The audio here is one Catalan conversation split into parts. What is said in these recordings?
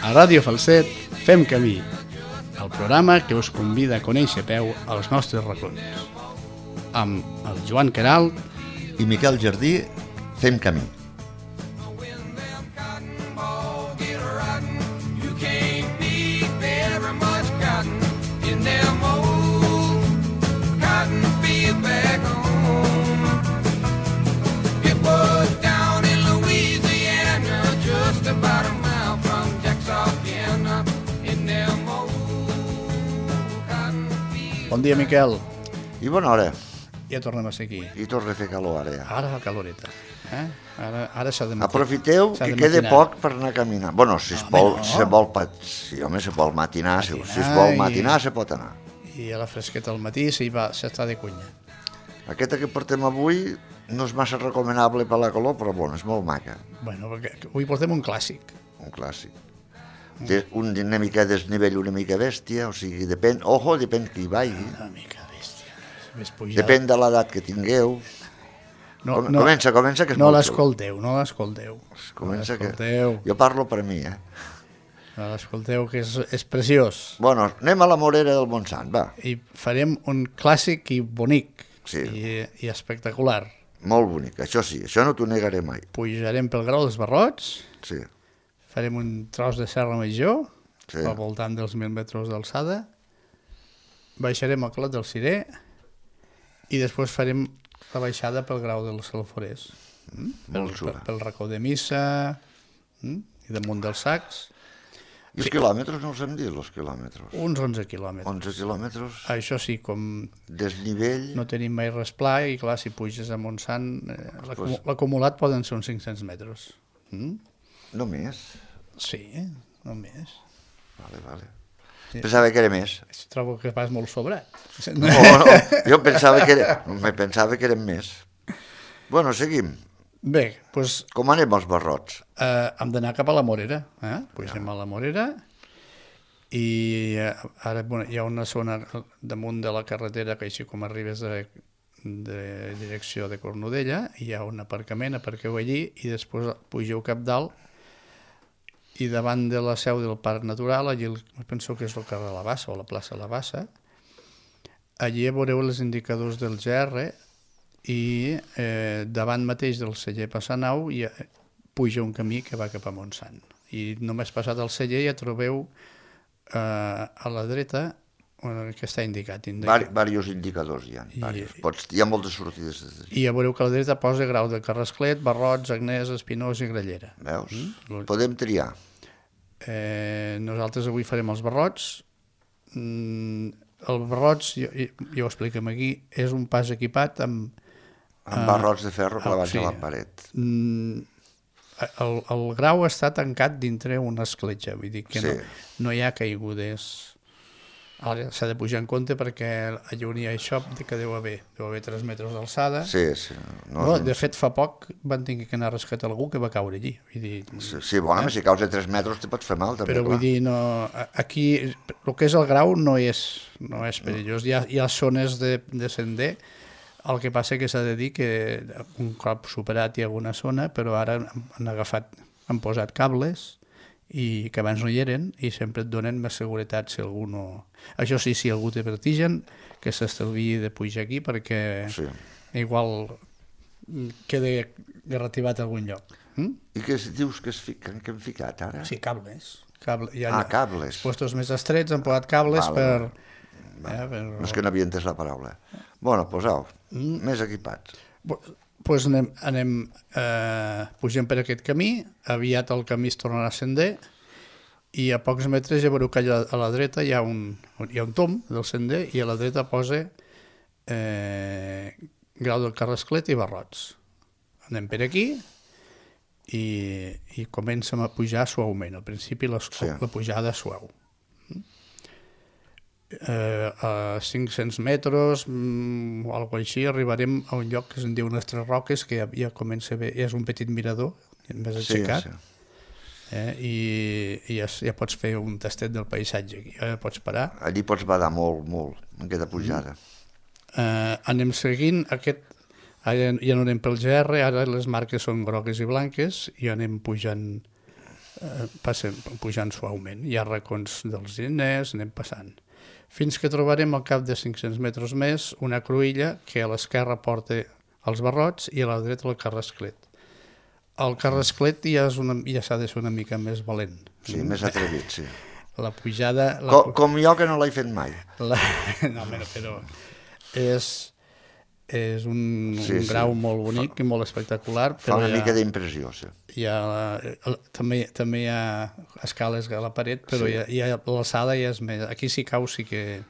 A Ràdio Falset fem camí, el programa que us convida a conèixer a peu els nostres racons. Amb el Joan Queralt i Miquel Jardí fem camí. Bon dia, Miquel. I bona hora. Ja tornem a ser aquí. I torna a fer calor ara ja. Ara la caloreta. Ara s'ha de matinar. Aprofiteu que queda poc per anar a caminar. Bueno, si es vol matinar, si es vol matinar, se pot anar. I a la fresqueta al matí s'està de cunya. Aquesta que portem avui no és massa recomanable per la calor, però bueno, és molt maca. Bueno, perquè avui portem un clàssic. Un clàssic. Una mica desnivell, una mica bèstia, o sigui, depèn qui hi vagi. Una mica bèstia. Depèn de l'edat que tingueu. Comença, que és no molt l'escolteu, no l'escolteu. Comença que... Jo parlo per mi, No l'escolteu, que és preciós. Bueno, anem a la Morera del Montsant, va. I farem un clàssic i bonic. Sí. I espectacular. Molt bonic, això sí, això no t'ho negaré mai. Pujarem pel Grau dels Barrots. Sí. Farem un tros de Serra Major, sí, al voltant dels 1.000 metres d'alçada. Baixarem al Clot del Cirer i després farem la baixada pel Grau dels Alforers. Pel racó de Missa i damunt dels Sacs. I els quilòmetres no els hem dit, els quilòmetres? Uns 11 quilòmetres. 11 quilòmetres. Això sí, com desnivell... no tenim mai res pla i clar, si puges a Montsant, l'acumulat poden ser uns 500 metres. No més? Sí, no més. Vale. Pensava que era més. Trobo que vas molt sobrat. No, jo pensava que eren més. Bueno, seguim. Bé, doncs... Com anem als Barrots? Hem d'anar cap a la Morera. Pugem a la Morera i ara hi ha una zona damunt de la carretera que així com arribes de direcció de Cornudella, hi ha un aparcament, aparqueu allí i després pugeu cap dalt i davant de la seu del Parc Natural, allí penso que és el carrer La Bassa o la plaça La Bassa, allí veureu els indicadors del GR i davant mateix del celler Passanau puja un camí que va cap a Montsant. I només passat el celler ja trobeu a la dreta que està indicat. Varios indicadors hi ha. Hi ha moltes sortides. I ja veureu que a la dreta posa Grau de Carrasclet, Barrots, Agnès, Espinós i Grallera. Veus? Podem triar. Nosaltres avui farem els Barrots. El Barrots, ja ho expliquem aquí, és un pas equipat amb barrots de ferro clavats a la paret. El Grau està tancat dintre una escletxa, vull dir que no hi ha caigudes. Ara s'ha de pujar en compte perquè allà on hi ha això que deu haver 3 metres d'alçada. Sí. De fet, fa poc van tenir que anar a rescatar algú que va caure allí. Sí, bueno, si caus de 3 metres te pots fer mal, també. Però vull dir, aquí el que és el Grau no és perillós. Hi ha zones de sender, el que passa que s'ha de dir que un cop superat hi ha alguna zona, però ara han posat cables i que abans no hi eren i sempre et donen més seguretat si algú no... Això sí, si algú té vertigen, que s'estalviï de pujar aquí perquè igual queda garrativat a algun lloc. I què dius que hem ficat ara? Sí, cables. Cables. Els puestos més estrets han posat cables per... No és que no havia entès la paraula. Bueno, posau, més equipats. Doncs pugem per aquest camí, aviat el camí es tornarà a sender i a pocs metres ja veureu que allà a la dreta hi ha un tomb del sender i a la dreta posa Grau del Carrasclet i Barrots. Anem per aquí i comencem a pujar suaument. Al principi la pujada suau. A 500 metres o alguna així arribarem a un lloc que se'n diu Les Tres Roques, que ja comença bé, és un petit mirador més aixecat i ja pots fer un tastet del paisatge aquí, ja pots parar. Allí pots badar molt en aquesta pujada. Anem seguint ja no anem pel GR, ara les marques són grogues i blanques i anem pujant passem pujant suaument. Hi ha racons dels diners, anem passant. Fins que trobarem al cap de 500 metres més una cruïlla que a l'esquerra porta els barrots i a la dreta el carrasclet. El carrasclet ja s'ha de ser una mica més valent. Sí, més atrevit, sí. La pujada... Com jo, que no l'he fet mai. No, però és un grau molt bonic i molt espectacular. Fa una mica d'impressió, sí. També hi ha escales a la paret, però l'alçada ja és més... Aquí si cau sí que...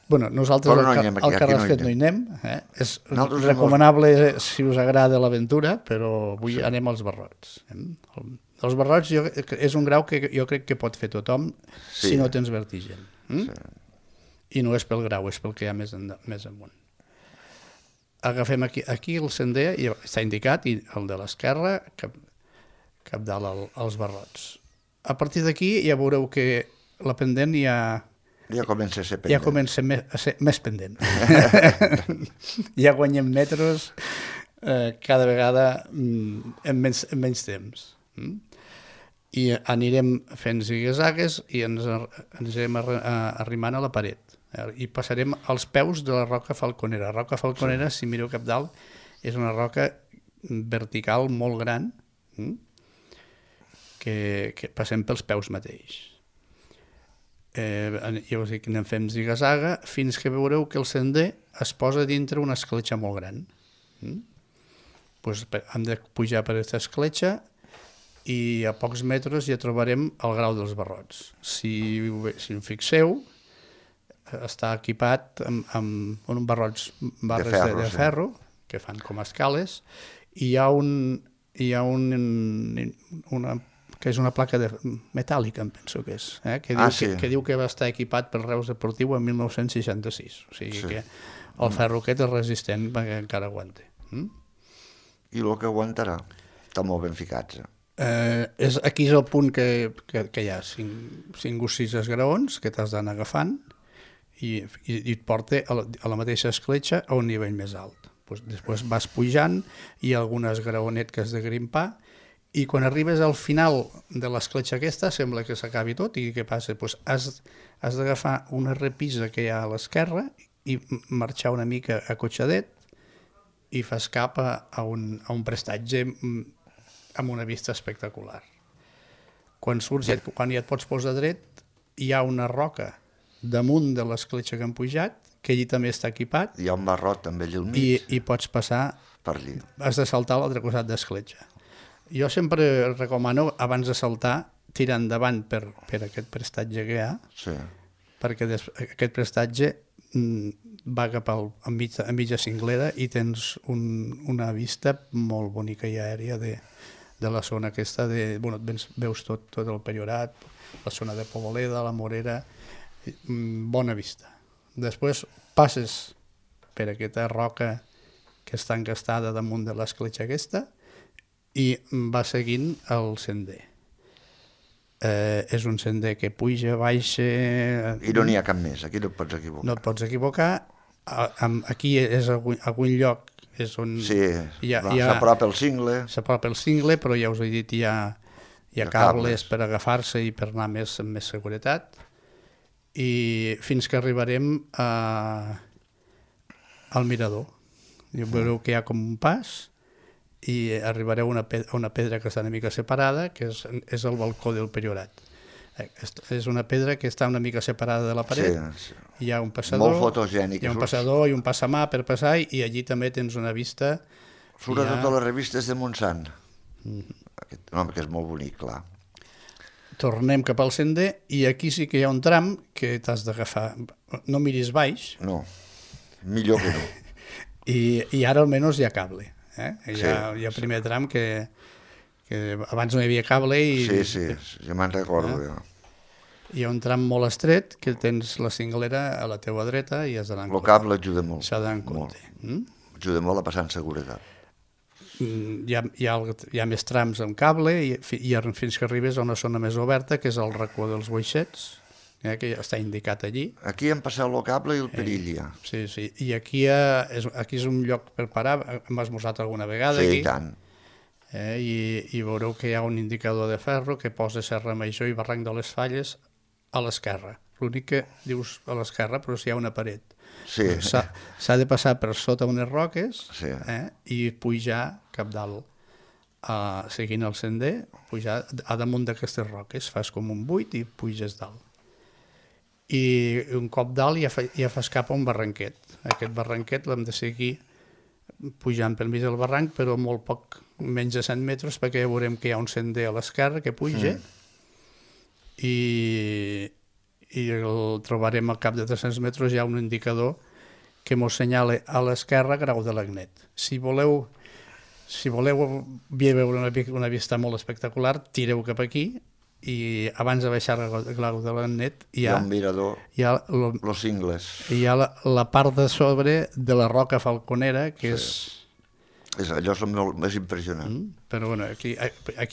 Bueno, nosaltres al carrasclet no hi anem. És recomanable si us agrada l'aventura, però avui anem als barrots. Els barrots és un grau que jo crec que pot fer tothom si no tens vertigen. I no és pel grau, és pel que hi ha més amunt. Agafem aquí el sender, està indicat, i el de l'esquerra, cap dalt als barrots. A partir d'aquí ja veureu que la pendent ja comença a ser pendent. Ja comença a ser més pendent. Ja guanyem metres cada vegada en menys temps. I anirem fent zigue-zagues i ens anem arrimant a la paret. I passarem als peus de la roca falconera. La roca falconera, si mireu cap dalt, és una roca vertical molt gran que passem pels peus mateix. Ja us dic, anem fent zigue-zaga fins que veureu que el sender es posa dintre una escletxa molt gran. Hem de pujar per aquesta escletxa i a pocs metres ja trobarem el grau dels barrots. Si en fixeu, està equipat amb barrots barres de ferro que fan com escales i hi ha una que és una placa metàl·lica, em penso que és, que diu que va estar equipat per Reus Deportiu en 1966. O sigui que el ferro aquest és resistent perquè encara aguanta. I el que aguantarà? Està molt ben ficats. Aquí és el punt que hi ha 5 o 6 esgraons que t'has d'anar agafant i et porta a la mateixa escletxa a un nivell més alt. Després vas pujant, hi ha algunes graonet que has de grimpar i quan arribes al final de l'escletxa aquesta sembla que s'acabi tot i què passa? Has d'agafar una repisa que hi ha a l'esquerra i marxar una mica acotxadet i fas cap a un prestatge amb una vista espectacular. Quan ja et pots posar dret, hi ha una roca damunt de l'escletxa que han pujat, que allí també està equipat. Hi ha un barrot també allà al mig. I pots passar... Per allí. Has de saltar a l'altre costat d'escletxa. Jo sempre recomano, abans de saltar, tirar endavant per aquest prestatge que hi ha, perquè aquest prestatge va cap a mitja cinglera i tens una vista molt bonica i aèria de la zona aquesta, veus tot el Priorat, la zona de Poboleda, la Morera, bona vista. Després passes per aquesta roca que està encastada damunt de l'escletxa aquesta i va seguint el sender. És un sender que puja, baixa... I no n'hi ha cap més, aquí no et pots equivocar. No et pots equivocar. Aquí és algun lloc és on... Sí, s'apropa el cingle. S'apropa el cingle, però ja us he dit, hi ha cables per agafar-se i per anar amb més seguretat. I fins que arribarem al mirador. Veureu que hi ha com un pas i arribareu a una pedra que està una mica separada, que és el balcó del Priorat. És una pedra que està una mica separada de la paret. Hi ha un passador, molt fotogènic. Hi ha un passador i un passamà per passar i allí també tens una vista... Surt a totes les revistes de Montsant. Home, que és molt bonic, clar. Tornem cap al sender i aquí sí que hi ha un tram que t'has d'agafar. No miris baix. No, millor que no. I ara almenys hi ha cable. Hi ha el primer tram que abans no hi havia cable i... Sí, ja me'n recordo. Hi ha un tram molt estret que tens la cinglera a la teua dreta i has d'anar en compte. El cable ajuda molt. S'ha d'anar en compte. Ajuda molt a passar en seguretat. Hi ha més trams amb cable i fins que arribes a una zona més oberta que és el racó dels boixets, que està indicat allí. Aquí hem passat el cable i el perill ja. Sí, i aquí és un lloc per parar, hem esmorzat alguna vegada aquí. Sí, i tant. I veureu que hi ha un indicador de ferro que posa Serra Major i Barranc de les Falles a l'esquerra. L'únic que dius a l'esquerra, però si hi ha una paret. Sí. S'ha de passar per sota unes roques Sí. I pujar cap dalt, seguint el sender, pujar a damunt d'aquestes roques, fas com un buit i puges dalt. I un cop dalt ja fas cap a un barranquet. Aquest barranquet l'hem de seguir pujant pel mig del barranc, però molt poc, menys de 100 metres, perquè ja veurem que hi ha un sender a l'esquerra que puja i el trobarem al cap de 300 metres, hi ha un indicador que mos senyala a l'esquerra Grau de l'Agnet. Si voleu veure una vista molt espectacular, tireu cap aquí i abans de baixar el Grau de l'Agnet hi ha un mirador, los Ingles. Hi ha la part de sobre de la Roca Falconera, que Allò és el més impressionant. Però bueno, aquí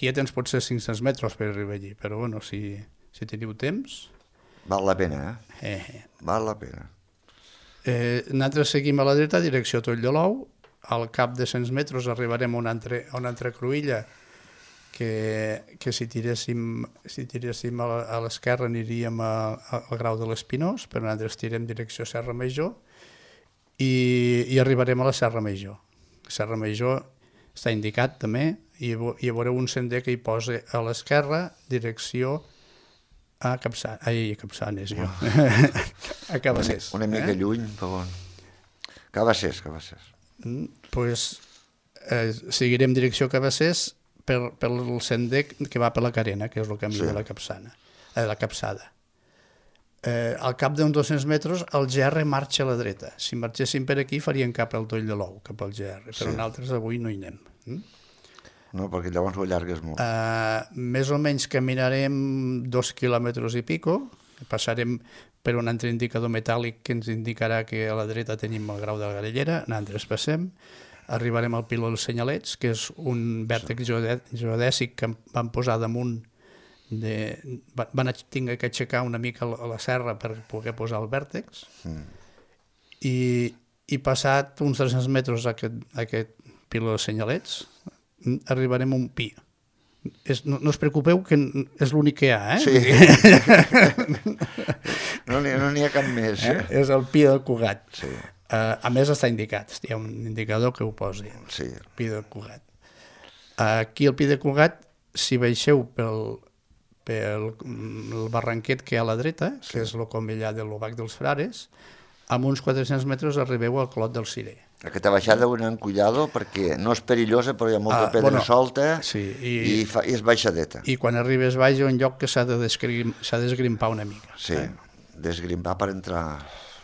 ja tens potser 500 metres per arribar allí, però bueno, si teniu temps... Val la pena, Val la pena. Nosaltres seguim a la dreta, direcció Toll de l'Ou. Al cap de 100 metres arribarem a una altra cruïlla que si tiréssim a l'esquerra aniríem al Grau de l'Espinós, però nosaltres tirem direcció Serra Major i arribarem a la Serra Major. Serra Major està indicat també i veureu un sender que hi posa a l'esquerra direcció a Capçanes, a Cabassers. Una mica lluny, però... Cabassers. Doncs seguirem direcció Cabassers pel sender que va per la Carena, que és el camí de la Capçada. Al cap d'uns 200 metres el GR marxa a la dreta. Si marxéssim per aquí faríem cap al Toll de l'Ou, cap al GR, però nosaltres avui no hi anem. No, perquè llavors ho allargues molt. Més o menys caminarem 2 quilòmetres i pico, passarem per un altre indicador metàl·lic que ens indicarà que a la dreta tenim el Grau de la Garellera, nosaltres passem, arribarem al Piló dels Senyalets, que és un vèrtex geodèsic que van posar damunt, van haver que aixecar una mica a la serra per poder posar el vèrtex, i passat uns 300 metres a aquest Piló dels Senyalets, arribarem a un pi. No us preocupeu que és l'únic que hi ha, Sí. No n'hi ha cap més. És el pi del Cugat. Sí. A més està indicat, hi ha un indicador que ho posi, Sí. el pi del Cugat. Aquí al pi del Cugat, si baixeu pel barranquet que hi ha a la dreta, que és el comellà de l'Obac dels Frares, amb uns 400 metres arribeu al Clot del Cirer. Aquesta baixada ho anem cuidado perquè no és perillosa, però hi ha molta pedra solta i és baixadeta. I quan arribes baix hi ha un lloc que s'ha d'esgrimpar una mica. Sí, desgrimpar per entrar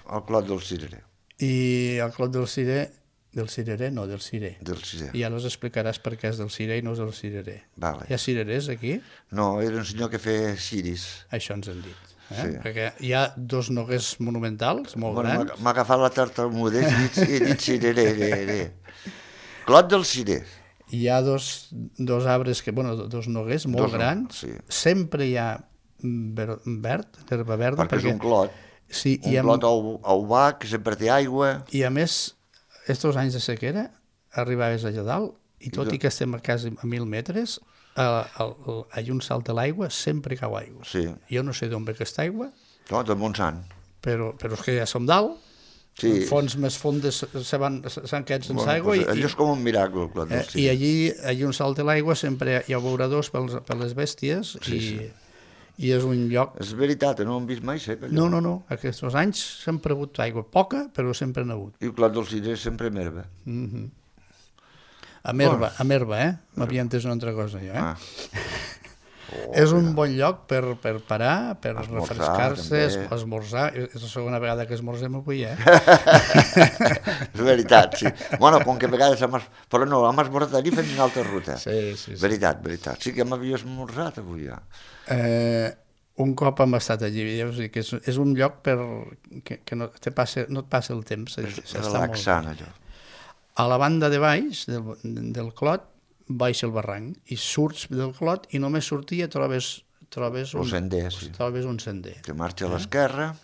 al Clot del Cirer. I al Clot del Cirer, del Cirer. I ja els explicaràs per què és del Cirer i no és del Cirer. Vale. Hi ha cirerers aquí? No, era un senyor que feia ciris. Això ens han dit. Perquè hi ha 2 noguers monumentals molt grans. M'ha agafat la tartamuda i he dit cirer. Clot del Cirer. Hi ha dos arbres, 2 noguers molt grans. Sempre hi ha verd, herba verda. Perquè és un clot. Sí, un clot obac, que sempre té aigua. I a més, estos anys de sequera, arribaves allà dalt, i tot i que estem a quasi a 1.000 metres, a un salt de l'aigua sempre cau aigua. Sí. Jo no sé d'on ve aquesta aigua. No, de Montsant. Però és que ja som dalt, fonts més fondes s'han quedat sense aigua. Allò és com un miracle, el Clot del Cirer. I allí un salt de l'aigua sempre hi ha beuradors per les bèsties i és un lloc... És veritat, no ho hem vist mai sec, allò. No, aquests anys sempre ha hagut aigua, poca, però sempre n'ha hagut. I el Clot del Cirer sempre amb herba. Amb herba, m'havia entès una altra cosa, jo, És un bon lloc per parar, per refrescar-se, esmorzar. És la segona vegada que esmorzem avui, És veritat, sí. Bueno, com que a vegades però no, hem esmorzat allí fent una altra ruta. Sí. Veritat. Sí que m'havia esmorzat avui, ja. Un cop hem estat allí, que és un lloc que no et passa el temps. És relaxant, allò. A la banda de baix del Clot baixa el barranc i surts del Clot i només sortir trobes un sender. Que marxa a l'esquerra.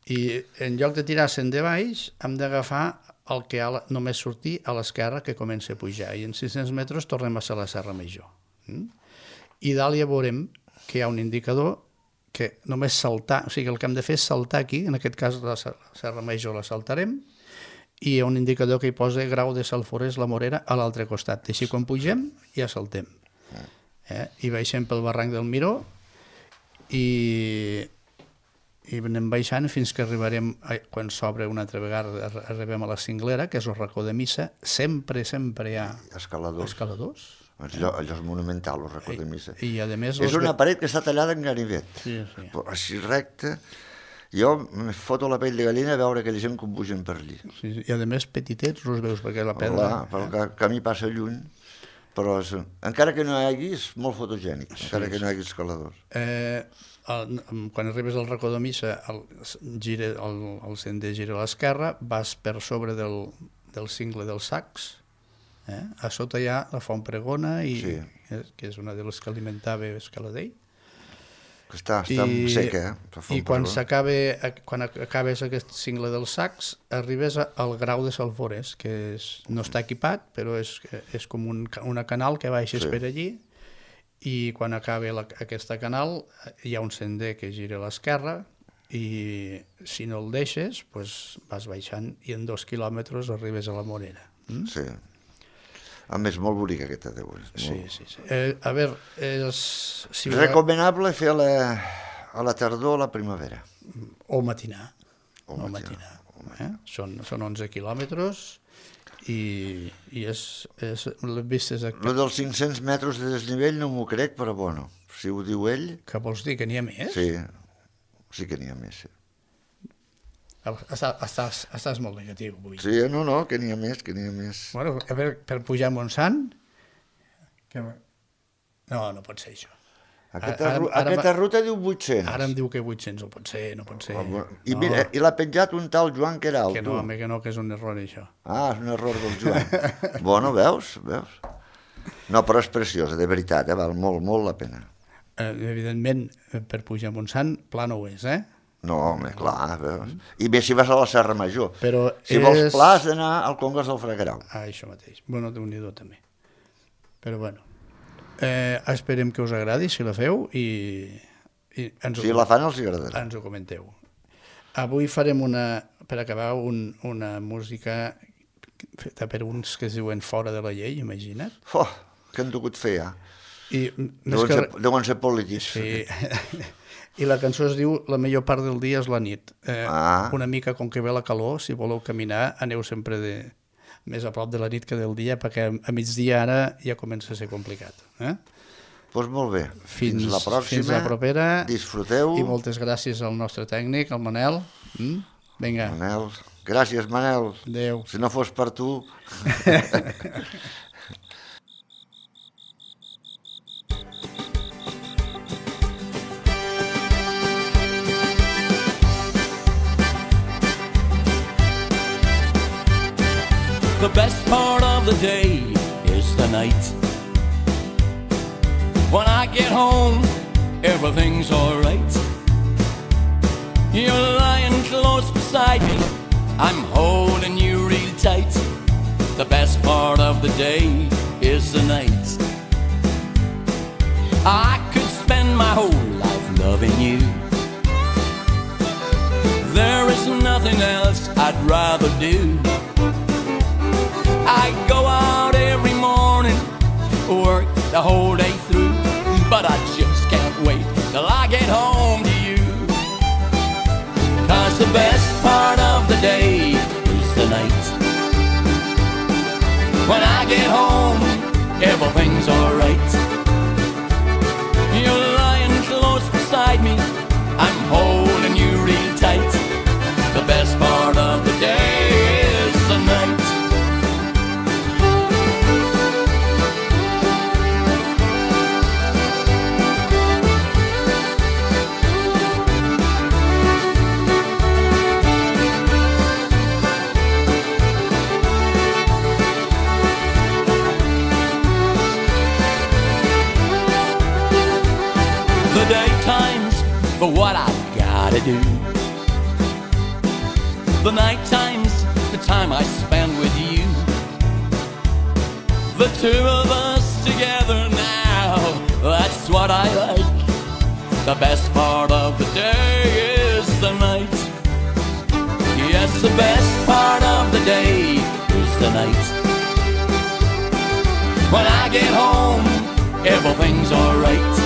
I en lloc de tirar sender baix hem d'agafar el que només sortir a l'esquerra que comença a pujar, i en 600 metres tornem a ser la Serra Major. I dalt ja veurem que hi ha un indicador que només saltar, o sigui, el que hem de fer és saltar aquí, en aquest cas la Serra Major la saltarem, i hi ha un indicador que hi posa grau de Salforès la Morera a l'altre costat. Així quan pugem ja saltem. I baixem pel barranc del Miró i anem baixant fins que arribarem, quan s'obre una altra vegada, arribem a la Cinglera, que és el racó de Missa. Sempre hi ha escaladors. Allò és monumental, el racó de Missa. I a més... És una paret que està tallada en ganivet. Sí. Així recte. Jo me foto la pell de gallina a veure aquella gent com pugen per allí. Sí, i a més petitets, els veus, perquè la pedra... Però el camí passa lluny, però encara que no hi hagi, és molt fotogènic, encara que no hi hagi escaladors. Quan arribes al racó de Missa, el sender gira a l'esquerra, vas per sobre del cingle dels Sacs, a sota hi ha la Font Pregona, que és una de les que alimentava Escaladell. Està seca, I quan acabes aquest cingle dels Sacs, arribes al grau de Salforès, que no està equipat, però és com una canal que baixes per allí, i quan acaba aquesta canal hi ha un sender que gira a l'esquerra, i si no el deixes, vas baixant i en 2 quilòmetres arribes a la Morera. Sí. A més, molt bonica aquesta de avui. Sí. A veure, recomanable fer a la tardor o a la primavera. O matinar. Són 11 quilòmetres i és les vistes... Lo dels 500 metres de desnivell no m'ho crec, però bueno, si ho diu ell... Què vols dir, que n'hi ha més? Sí que n'hi ha més, sí. Estàs molt negatiu avui. Sí, no, que n'hi ha més. Bueno, a veure, per pujar a Montsant... No pot ser això. Aquesta ruta diu 800. Ara em diu que 800, no pot ser. I mira, i l'ha penjat un tal Joan Queralt. Que no, que és un error, això. És un error del Joan. Bueno, veus? No, però és preciosa, de veritat, val molt, molt la pena. Evidentment, per pujar a Montsant, pla no ho és, No, home, clar, veus? I bé si vas a la Serra Major. Si vols pla has d'anar al Congost del Fragrau. Això mateix. Bueno, Déu-n'hi-do també. Però bueno, esperem que us agradi si la feu i si la fan els agradarà. Ens ho comenteu. Avui farem per acabar, una música feta per uns que es diuen Fora de la llei, imagina't. Què han dugut fer, ja? Deuen ser polítics. Sí. I la cançó es diu La millor part del dia és la nit. Una mica, com que ve la calor, si voleu caminar, aneu sempre més a prop de la nit que del dia, perquè a migdia ara ja comença a ser complicat. Doncs molt bé. Fins la pròxima. Fins la propera. Disfruteu. I moltes gràcies al nostre tècnic, el Manel. Vinga. Manel. Gràcies, Manel. Adéu. Si no fos per tu... The best part of the day is the night. When I get home, everything's alright. You're lying close beside me, I'm holding you real tight. The best part of the day is the night. I could spend my whole life loving you. There is nothing else I'd rather do. I go out every morning, work the whole day through, but I just can't wait till I get home to you. 'Cause the best part of the day is the night. When I get home, everything's alright. You're lying close beside me, I'm holding you real tight. The best part of the day is the night. The daytime's for what I've gotta do. The night time's the time I spend the two of us together now, that's what I like. The best part of the day is the night. Yes, the best part of the day is the night. When I get home, everything's alright.